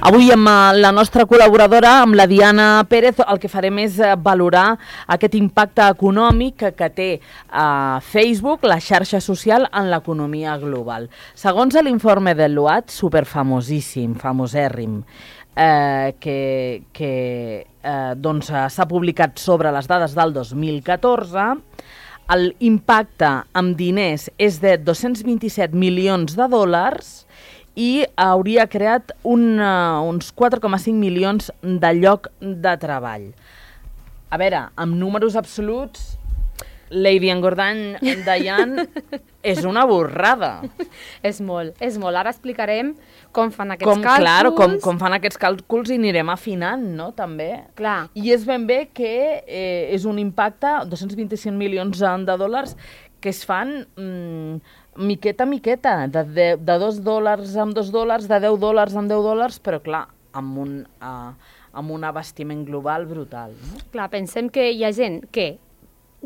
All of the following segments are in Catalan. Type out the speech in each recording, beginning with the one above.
Avui amb la nostra col·laboradora, amb la Diana Pérez, el que farem és valorar aquest impacte econòmic que té Facebook, la xarxa social, en l'economia global. Segons l'informe de l'UAT, superfamosíssim, famosèrrim, que s'ha publicat sobre les dades del 2014, l'impacte amb diners és de 227 milions de dòlars i hauria creat uns 4,5 milions de lloc de treball. A veure, amb números absoluts, Lady Engordany, Diane, és una borrada. És molt. Ara explicarem com fan aquests càlculs. Claro, com fan aquests càlculs i anirem afinant, no?, també. Clar. I és ben bé que és un impacte, 225 milions de dòlars, que es fan miqueta a miqueta, de $2 amb $2, de $10 amb $10, però clar, amb un abastiment global brutal. No? Clar, pensem que hi ha gent que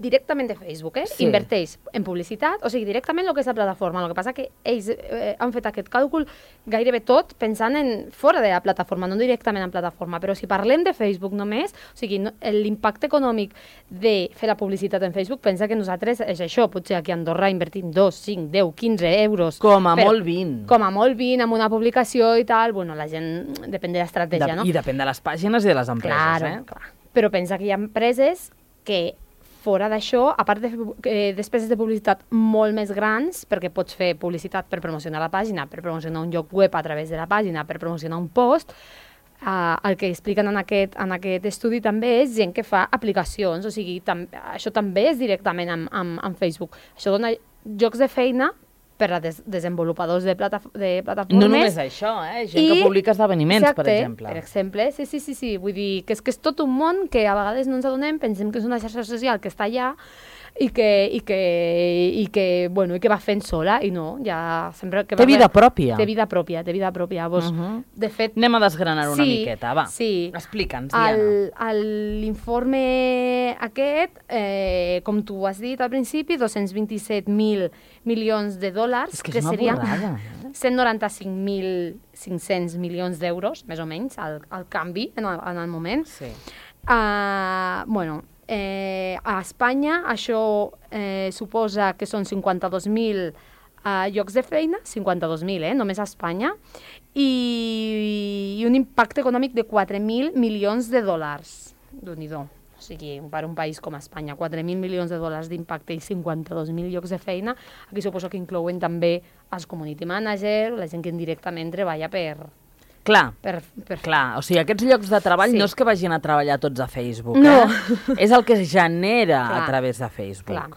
directament de Facebook, Sí. inverteix en publicitat, o sigui, directament el que és la plataforma. El que passa que ells han fet aquest càlcul gairebé tot pensant en fora de la plataforma, no directament en plataforma. Però si parlem de Facebook només, o sigui, l'impacte econòmic de fer la publicitat en Facebook, pensa que nosaltres és això, potser aquí a Andorra invertim 2, 5, 10, 15 euros. Com a molt 20. Com a molt 20, amb una publicació i tal. Bueno, la gent depèn de l'estratègia, no? I depèn de les pàgines i de les empreses, Clar. Però pensa que hi ha empreses que fora d'això, a part de despeses de publicitat molt més grans, perquè pots fer publicitat per promocionar la pàgina, per promocionar un lloc web a través de la pàgina, per promocionar un post, el que expliquen en aquest estudi també és gent que fa aplicacions, o sigui, això també és directament amb Facebook. Això dona llocs de feina per a desenvolupadors de plataformes. No només això, gent que publica esdeveniments, per exemple. Per exemple, sí. Vull dir que és tot un món que a vegades no ens adonem, pensem que és una xarxa social que està allà i que va fent sola, i no, ja sempre... Té vida pròpia. Té vida pròpia. De fet... Anem a desgranar-ho una miqueta, va. Sí. Explica'ns, Diana. L'informe aquest, com tu has dit al principi, 227.000 milions de dòlars, que serien 195.500 milions d'euros, més o menys, al canvi en el moment. Sí. A Espanya això suposa que són 52.000 llocs de feina, 52.000, només a Espanya, i un impacte econòmic de 4.000 milions de dòlars. Déu-n'hi-do. O sigui, per un país com Espanya, 4.000 milions de dòlars d'impacte i 52.000 llocs de feina. Aquí suposo que inclouen també els community manager, la gent que indirectament treballa per... Clar, o sigui, aquests llocs de treball no és que vagin a treballar tots a Facebook, és el que es genera a través de Facebook.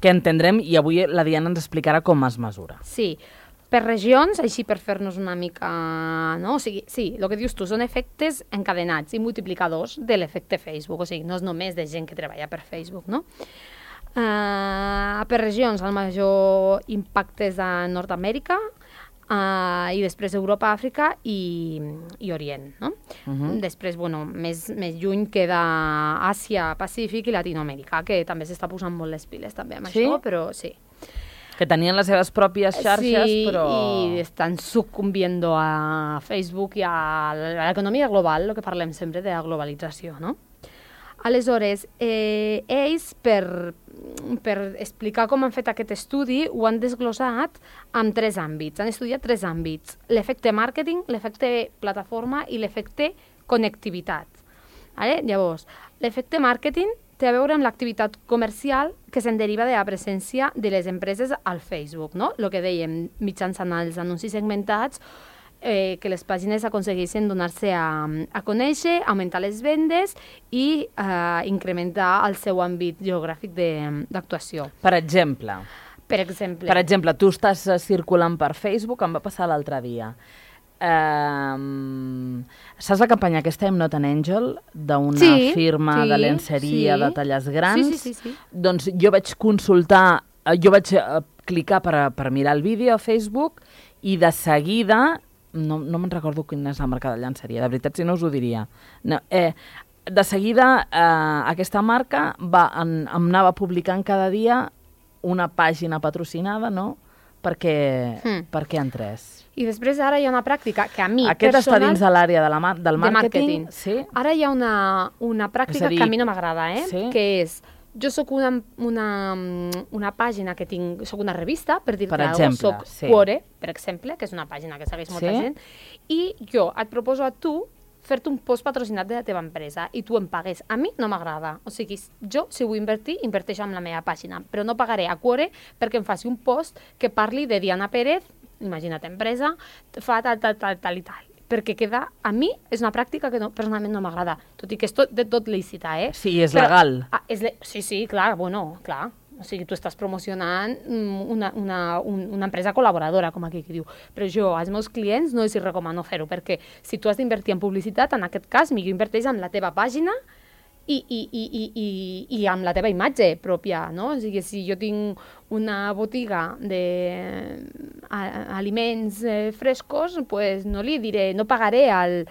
Que entendrem, i avui la Diana ens explicarà com es mesura. Sí, per regions, així per fer-nos una mica... O sigui, sí, el que dius tu, són efectes encadenats i multiplicadors de l'efecte Facebook, o sigui, no és només de gent que treballa per Facebook, no? Per regions, el major impacte és a Nord-Amèrica, i després Europa, Àfrica i Orient, no? Després, més lluny queda Àsia, Pacífic i Latinoamèrica, que també s'està posant molt les piles també amb això, però sí. Que tenien les seves pròpies xarxes, però... Sí, i estan sucumbiendo a Facebook i a l'economia global, el que parlem sempre de la globalització, no? Aleshores, ells, per explicar com han fet aquest estudi, ho han desglossat en 3 àmbits. Han estudiat 3 àmbits: l'efecte màrqueting, l'efecte plataforma i l'efecte connectivitat. Llavors, l'efecte màrqueting té a veure amb l'activitat comercial que se'n deriva de la presència de les empreses al Facebook, no? El que dèiem, mitjançant els anuncis segmentats, que les pàgines aconsegueixen donar-se a conèixer, augmentar les vendes i incrementar el seu àmbit geogràfic d'actuació. Per exemple, tu estàs circulant per Facebook, em va passar l'altre dia. Saps la campanya aquesta I'm Not an Angel, d'una firma de lenceria de talles grans? Sí. Doncs jo vaig consultar, jo vaig clicar per mirar el vídeo a Facebook i de seguida... No me'n recordo quina és la marca de llenceria, de veritat, si no us ho diria. De seguida, aquesta marca em anava publicant cada dia una pàgina patrocinada, no?, per què han tres. I després ara hi ha una pràctica que a mi Aquest personal... està dins de l'àrea del màrqueting. Sí? Ara hi ha una pràctica que a mi no m'agrada, sí? Que és... Jo sóc una pàgina que tinc... Soc una revista, per dir-te alguna cosa. Soc Quore, per exemple, que és una pàgina que segueix molta gent. I jo et proposo a tu fer-te un post patrocinat de la teva empresa i tu em pagues. A mi no m'agrada. O sigui, jo, si vull invertir, inverteixo en la meva pàgina, però no pagaré a Quore perquè em faci un post que parli de Diana Pérez, imagina't empresa, fa tal i tal. Perquè a mi és una pràctica que personalment no m'agrada, tot i que és de tot lícita, Sí, és legal. Sí, clar, clar. O sigui, tu estàs promocionant una empresa col·laboradora, com aquí que diu. Però jo, als meus clients, no els recomano fer-ho, perquè si tu has d'invertir en publicitat, en aquest cas, millor inverteix en la teva pàgina i amb la teva imatge pròpia, no? O sigui, si jo tinc una botiga d'aliments frescos, pues no li diré, no pagaré al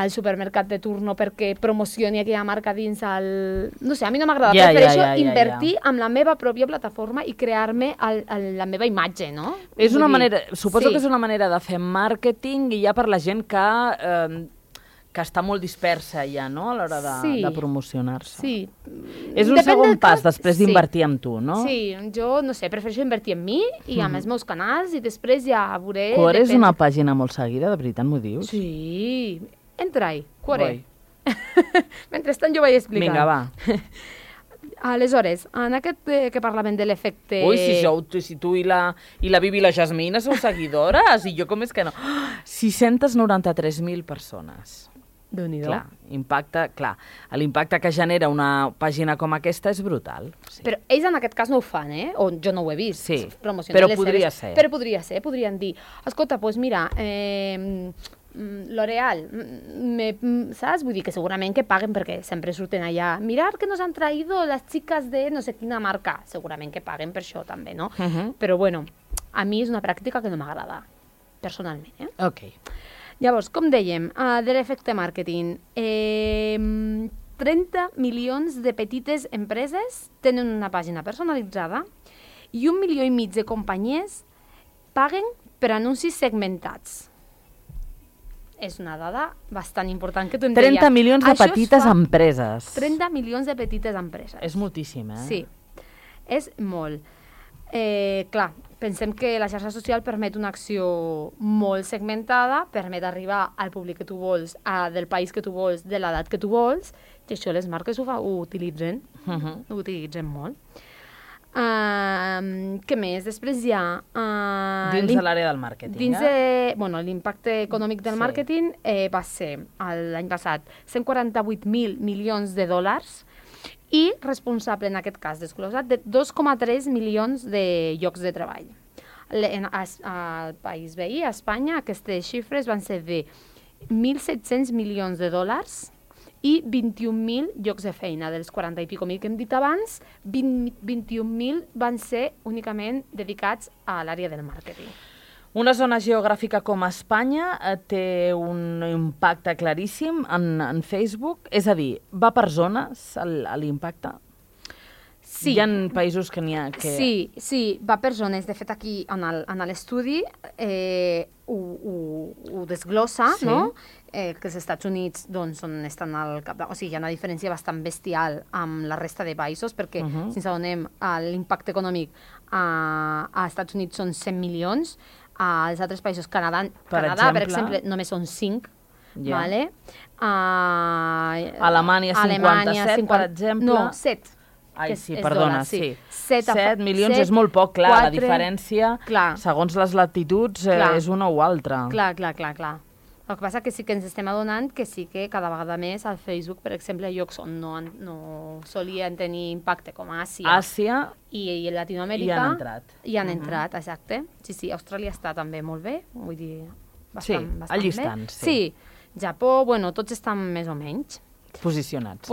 supermercat de turno perquè promocioni aquella marca dins el... No sé, a mi no m'agrada, prefereixo invertir en la meva pròpia plataforma i crear-me la meva imatge, no? És una manera, suposo que és una manera de fer màrqueting i ja per la gent que està molt dispersa ja, no?, a l'hora de promocionar-se. Sí. És un segon pas després d'invertir en tu, no? Sí, jo, no sé, prefereixo invertir en mi i en els meus canals i després ja veuré... Quore és una pàgina molt seguida, de veritat m'ho dius? Sí, entra-hi, Quore. Mentrestant jo vaig explicar. Vinga, va. Aleshores, en aquest que parlàvem de l'efecte... Ui, si tu i la Bibi i la Jasmina sou seguidores, i jo com és que no? 693.000 persones. Déu-n'hi-do. L'impacte que genera una pàgina com aquesta és brutal. Sí. Però ells en aquest cas no ho fan, o jo no ho he vist. Sí, però podria ser. Però podrien dir, escolta, doncs mira, L'Oreal, saps? Vull dir que segurament que paguen perquè sempre surten allà. Mirar que nos han traído las chicas de no sé quina marca. Segurament que paguen per això també, no? Però bueno, a mi és una pràctica que no m'agrada, personalment. Ok. Llavors, com dèiem, de l'efecte màrqueting, 30 milions de petites empreses tenen una pàgina personalitzada i 1,5 milió de companyies paguen per anuncis segmentats. És una dada bastant important que tu em deies. 30 milions de petites empreses. 30 milions de petites empreses. És moltíssim, Sí, és molt. Clar, pensem que la xarxa social permet una acció molt segmentada, permet arribar al públic que tu vols, del país que tu vols, de l'edat que tu vols, i això les marques ho utilitzen, ho utilitzen molt. Què més? Després hi ha... dins de l'àrea del màrqueting, l'impacte econòmic del màrqueting va ser, l'any passat, 148.000 milions de dòlars, i responsable, en aquest cas desglosat, de 2,3 milions de llocs de treball. Al país veí, a Espanya, aquestes xifres van ser de 1.700 milions de dòlars i 21.000 llocs de feina. Dels 40 i pico mil que hem dit abans, 21.000 van ser únicament dedicats a l'àrea del màrqueting. Una zona geogràfica com Espanya té un impacte claríssim en Facebook? És a dir, va per zones l'impacte? Sí. Hi ha països que n'hi ha que... Sí, va per zones. De fet, aquí en l'estudi ho desglossa, no? Que els Estats Units estan al cap... O sigui, hi ha una diferència bastant bestial amb la resta de països, perquè, si ens adonem, l'impacte econòmic als Estats Units són 100 milions, als altres països, Canadà, per exemple, només són 5, vale? Alemanya 57, per exemple. No, 7. Ai, sí, perdona, sí. 7 milions és molt poc, clar, la diferència, segons les latituds, és una o altra. Clar. El que passa que sí que ens estem adonant que sí que cada vegada més al Facebook, per exemple, llocs on no solien tenir impacte com Àsia i Latinoamèrica hi han entrat, exacte. Sí, Austràlia està també molt bé, vull dir, bastant bé. Allistant, sí. Sí, Japó, tots estan més o menys posicionats.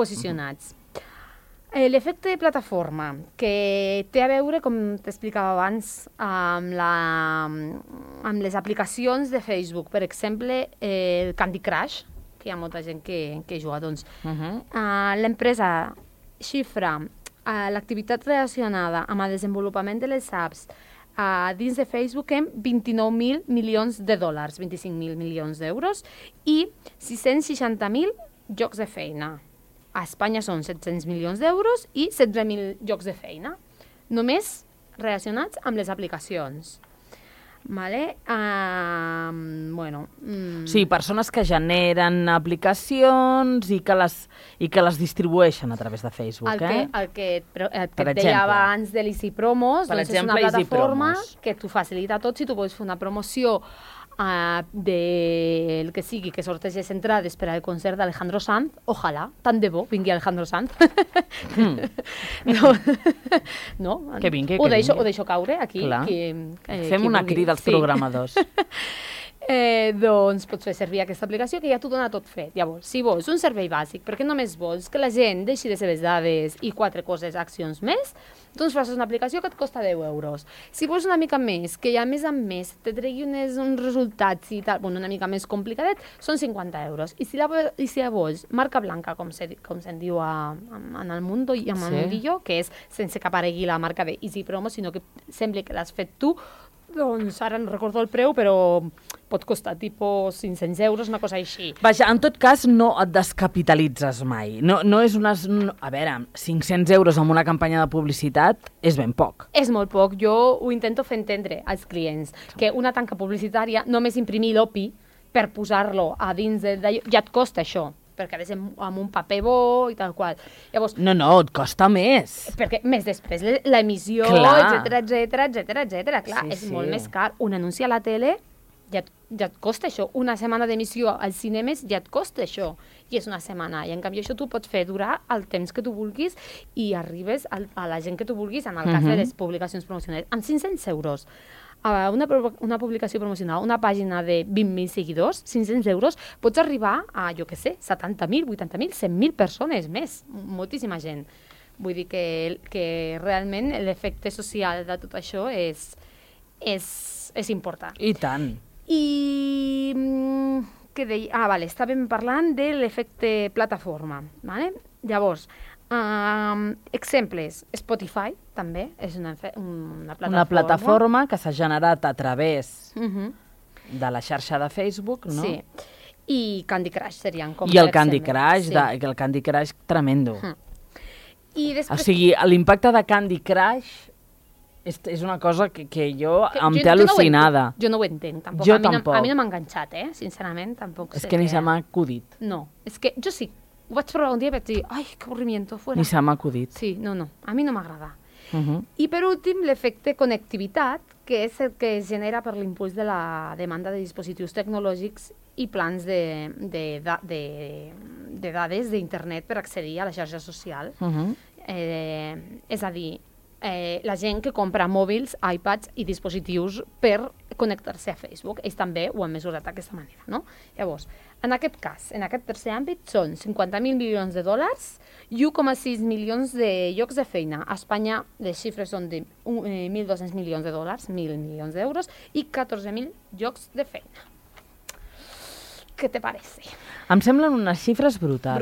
L'efecte de plataforma, que té a veure, com t'explicava abans, amb les aplicacions de Facebook. Per exemple, el Candy Crush, que hi ha molta gent que juga. L'empresa xifra l'activitat relacionada amb el desenvolupament de les apps dins de Facebook hem 29.000 milions de dòlars, 25.000 milions d'euros, i 660.000 llocs de feina. A Espanya són 700 milions d'euros i 16.000 llocs de feina, només relacionats amb les aplicacions. Vale? Sí, persones que generen aplicacions i que les distribueixen a través de Facebook. El que et deia abans de l'Easy Promos, doncs és una plataforma que t'ho facilita tot. Si tu vols fer una promoció del que sigui, que sortegés entrades per al concert d'Alejandro Sanz, ojalà, tant de bo vingui Alejandro Sanz. No? Que vingui, ho deixo caure aquí. Fem una crida als programadors. Doncs pots fer servir aquesta aplicació que ja t'ho dona tot fet. Llavors, si vols un servei bàsic, perquè només vols que la gent deixi les seves dades i 4 coses, accions més, doncs fas una aplicació que et costa 10 euros. Si vols una mica més, que ja més amb més te tregui uns resultats i tal, una mica més complicadet, són 50 euros. I si la vols marca blanca, com se'n diu en el Mundo i en el Mundillo, que és sense que aparegui la marca de Easy Promo, sinó que sembla que l'has fet tu, doncs ara no recordo el preu, però pot costar tipus 500 euros, una cosa així. Vaja, en tot cas, no et descapitalitzes mai. No és unes... A veure, 500 euros en una campanya de publicitat és ben poc. És molt poc. Jo ho intento fer entendre als clients, que una tanca publicitària, només imprimir l'OPI per posar-lo a dins d'allò, ja et costa això, perquè ha de ser amb un paper bo i tal qual. Llavors, no, et costa més. Perquè més després l'emissió, etcètera. Clar, és molt més car. Un anunci a la tele ja et costa això. Una setmana d'emissió als cinemes ja et costa això. I és una setmana. I en canvi això tu pots fer durar el temps que tu vulguis i arribes a la gent que tu vulguis, en el cas de les publicacions promocionals. Amb 500 euros. Una publicació promocional, una pàgina de 20.000 seguidors, 500 euros, pots arribar a, jo què sé, 70.000, 80.000, 100.000 persones més, moltíssima gent. Vull dir que realment l'efecte social de tot això és important. I tant. I què deia? Estàvem parlant de l'efecte plataforma. Vale? Llavors, exemples, Spotify també és una plataforma. Una plataforma que s'ha generat a través de la xarxa de Facebook, no? Sí. I Candy Crush serien com... I el Candy Crush, el Candy Crush tremendo. I després... O sigui, l'impacte de Candy Crush és una cosa que jo em té al·lucinada. Jo no ho entenc, tampoc. Jo tampoc. A mi no m'ha enganxat, sincerament, tampoc. És que ni se m'ha acudit. No, és que jo sí. Ho vaig provar un dia i vaig dir, ai, que avorrimiento, fuera. Ni se m'ha acudit. Sí, no, a mi no m'agrada. I per últim, l'efecte connectivitat, que és el que es genera per l'impuls de la demanda de dispositius tecnològics i plans de dades d'internet per accedir a la xarxa social. És a dir, la gent que compra mòbils, iPads i dispositius per connectar-se a Facebook. Ells també ho han mesurat d'aquesta manera, no? Llavors, en aquest cas, en aquest tercer àmbit, són 50.000 milions de dòlars i 1,6 milions de llocs de feina. A Espanya les xifres són de 1.200 milions de dòlars, 1.000 milions d'euros, i 14.000 llocs de feina. Què te parece? Em semblen unes xifres brutals.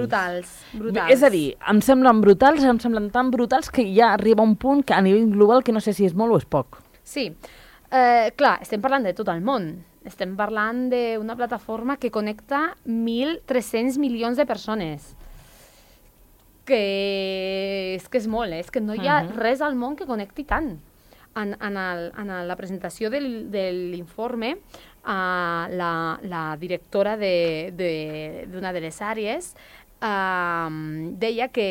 Brutals. És a dir, em semblen tan brutals que ja arriba un punt que a nivell global que no sé si és molt o és poc. Sí. Clar, estem parlant de tot el món. Estem parlant d'una plataforma que connecta 1.300 milions de persones. Que és molt, és que no hi ha res al món que connecti tant. En la presentació de l'informe, la directora d'una de les àrees deia que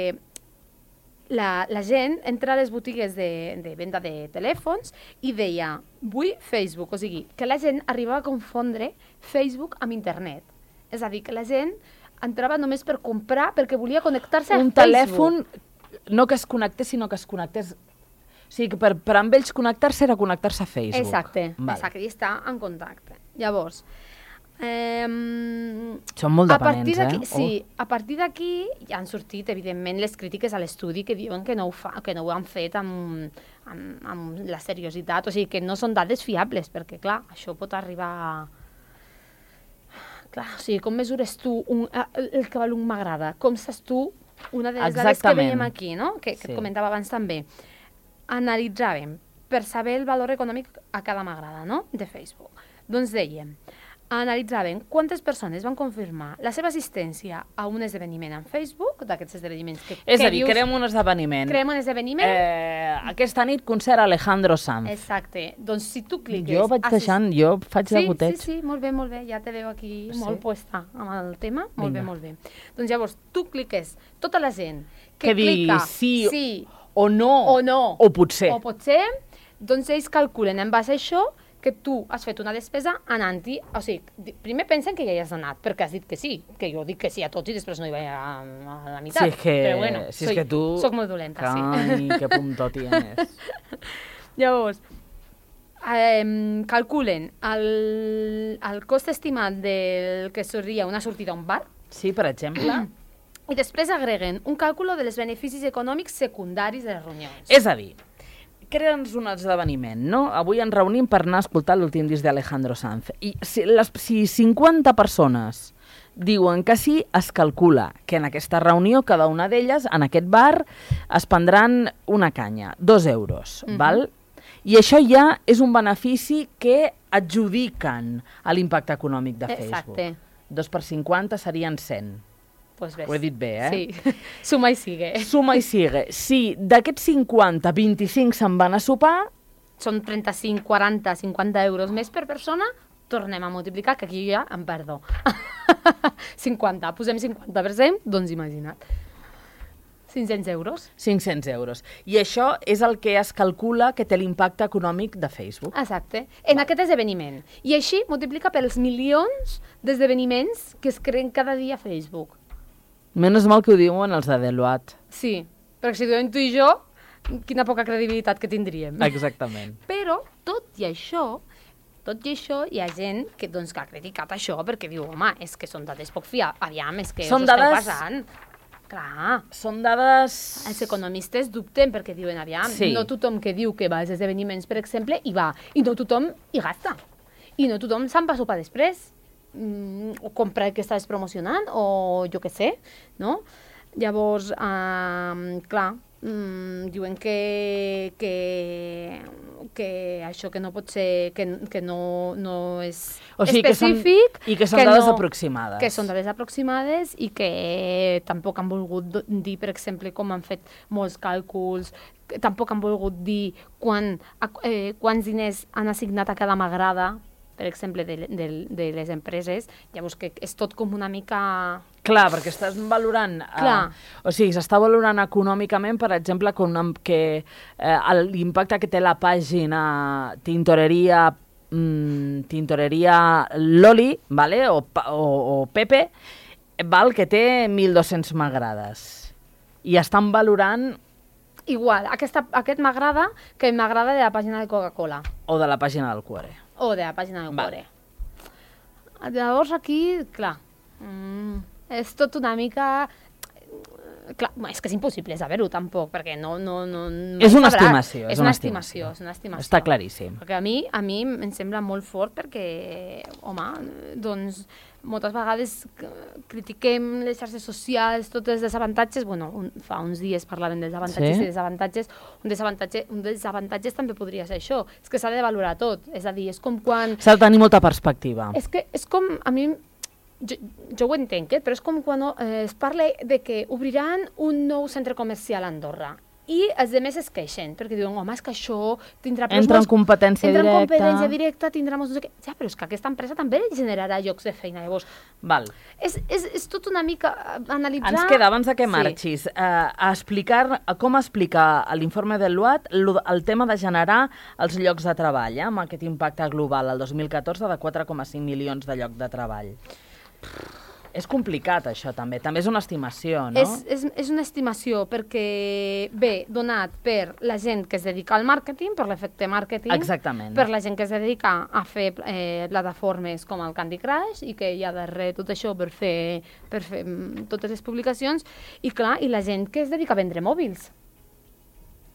la gent entra a les botigues de venda de telèfons i deia, vull Facebook, o sigui, que la gent arribava a confondre Facebook amb internet. És a dir, que la gent entrava només per comprar perquè volia connectar-se a Facebook. Un telèfon, no que es connectés, sinó que es connectés... O sigui, que per amb ells connectar-se era connectar-se a Facebook. Exacte, i estar en contacte. Llavors... Són molt dependents, Sí, a partir d'aquí ja han sortit, evidentment, les crítiques a l'estudi que diuen que no ho han fet amb la seriositat, o sigui, que no són dades fiables, perquè, clar, això pot arribar a... Clar, o sigui, com mesures tu el que valor m'agrada? Com saps tu una de les dades que veiem aquí, no? Que et comentava abans també. Analitzàvem per saber el valor econòmic a cada m'agrada, no?, de Facebook. Doncs dèiem, analitzaven quantes persones van confirmar la seva assistència a un esdeveniment en Facebook, d'aquests esdeveniments que... És a dir, creem un esdeveniment. Creem un esdeveniment. Aquesta nit concert Alejandro Sanz. Exacte. Doncs si tu cliques... Jo vaig deixant, jo faig de goteig. Sí, molt bé, ja te veu aquí molt puesta amb el tema. Molt bé. Doncs llavors, tu cliques, tota la gent que clica sí o no, o potser, doncs ells calculen en base a això que tu has fet una despesa anant-hi, o sigui, primer pensen que ja hi has anat, perquè has dit que sí, que jo dic que sí a tots i després no hi vaig a la meitat. Però bueno, si és que tu... Soc molt dolenta, sí. Ai, que puntó tienes. Llavors, calculen el cost estimat del que seria una sortida a un bar. Sí, per exemple. I després agreguen un càlcul de els beneficis econòmics secundaris de les reunions. És a dir, crea'ns un esdeveniment, no? Avui ens reunim per anar a escoltar l'últim disc d'Alejandro Sanz. I si 50 persones diuen que sí, es calcula que en aquesta reunió, cada una d'elles, en aquest bar, es prendran una canya, 2 euros, val? I això ja és un benefici que adjudiquen a l'impacte econòmic de Facebook. Exacte. 2 per 50 serien 100. Pues ves. Ho he dit bé, Sí. Suma i sigue. Suma i sigue. Si d'aquests 50, 25 se'n van a sopar... Són 35, 40, 50 euros més per persona, tornem a multiplicar, que aquí ja em perdo. 50, posem 50%, doncs imagina't. 500 euros. 500 euros. I això és el que es calcula que té l'impacte econòmic de Facebook. Exacte. En aquest esdeveniment. I així multiplica pels milions d'esdeveniments que es creen cada dia a Facebook. Menys mal que ho diuen els de Deloitte. Sí, perquè si ho diuen tu i jo, quina poca credibilitat que tindríem. Exactament. Però, tot i això, hi ha gent que, doncs, que ha criticat això perquè diu, home, és que són dades poc fiables. Aviam, és que us esteu passant. Clar. Són dades... Els economistes dubten perquè diuen, aviam, no tothom que diu que va als esdeveniments, per exemple, hi va. I no tothom hi gasta. I no tothom se'n va a sopar després. O comprar el que estàs promocionant, o jo què sé, no? Llavors, clar, diuen que això que no pot ser, que no és específic. I que són dades aproximades. Que són dades aproximades i que tampoc han volgut dir, per exemple, com han fet molts càlculs, tampoc han volgut dir quants diners han assignat a cada m'agrada, per exemple, de les empreses. Llavors que és tot com una mica... Clar, perquè estàs valorant... O sigui, s'està valorant econòmicament, per exemple, que l'impacte que té la pàgina Tintoreria Loli, vale? o Pepe, val, que té 1.200 m'agrades. I estan valorant... Igual, aquest m'agrada que m'agrada de la pàgina de Coca-Cola. O de la pàgina del Cuore. O de la pàgina del Cuore. Llavors aquí, clar, és tot una mica... Clar, és que és impossible saber-ho tampoc, perquè no... És una estimació. És una estimació. Està claríssim. Perquè a mi em sembla molt fort perquè, home, doncs, moltes vegades critiquem les xarxes socials, tots els desavantatges. Bueno, fa uns dies parlaven dels avantatges i desavantatges. Un desavantatges també podria ser això. És que s'ha de valorar tot. És a dir, és com quan... S'ha de tenir molta perspectiva. És que és com, a mi... Jo ho entenc, però és com quan es parla de que obriran un nou centre comercial a Andorra i els altres es queixen, perquè diuen, home, és que això tindrà... Entra en competència directa, tindrà molts... Ja, però és que aquesta empresa també generarà llocs de feina, llavors... Val. És tot una mica analitzar... Ens queda, abans que marxis, com explicar a l'informe de l'UAT el tema de generar els llocs de treball, amb aquest impacte global al 2014 de 4,5 milions de llocs de treball. És complicat, això, també. També és una estimació, no? És una estimació perquè ve donat per la gent que es dedica al màrqueting, per l'efecte màrqueting. Exactament. Per la gent que es dedica a fer plataformes com el Candy Crush i que hi ha darrere tot això per fer totes les publicacions. I clar, i la gent que es dedica a vendre mòbils.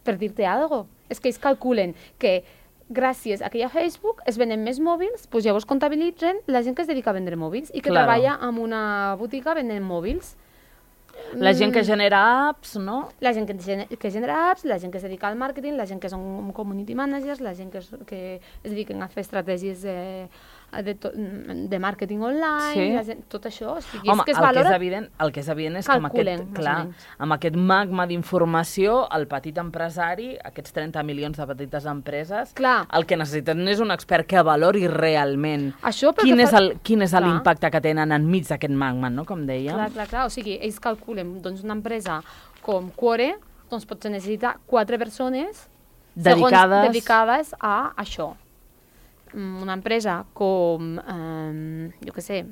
Per dir-te alguna cosa. És que ells calculen que gràcies a que hi ha Facebook es venen més mòbils, doncs llavors comptabilitzen la gent que es dedica a vendre mòbils i que treballa en una botiga venent mòbils. La gent que genera apps, no? La gent que genera apps, la gent que es dedica al màrqueting, la gent que són community managers, la gent que es dediquen a fer estratègies de màrqueting online, tot això. Home, el que és evident és que amb aquest magma d'informació, el petit empresari, aquests 30 milions de petites empreses, el que necessiten és un expert que valori realment quin és l'impacte que tenen enmig d'aquest magma, no? Com dèiem. Clar. O sigui, ells calculen, doncs una empresa com Quore, doncs potser necessita 4 persones dedicades a això. Una empresa com, jo què sé,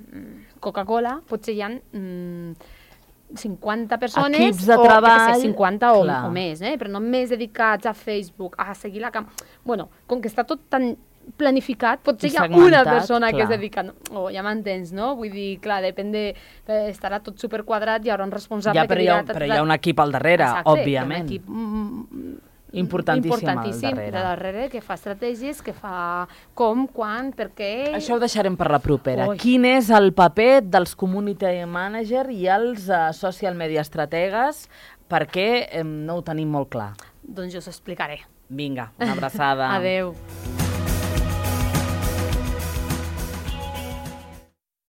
Coca-Cola, potser hi ha 50 persones, equips de treball, 50 o més, però no més dedicats a Facebook, a seguir la Bueno, com que està tot tan planificat, potser hi ha una persona que es dedica... ja m'entens, no? Vull dir, clar, estarà tot superquadrat, hi haurà un responsable que dirà... Però hi ha un equip al darrere, òbviament. Hi ha un equip importantíssim al darrere, que fa estratègies, que fa com, quan, per què... Això ho deixarem per la propera. Quin és el paper dels community manager i els social media estrategues, perquè no ho tenim molt clar? Doncs jo us explicaré. Vinga, una abraçada. Adeu.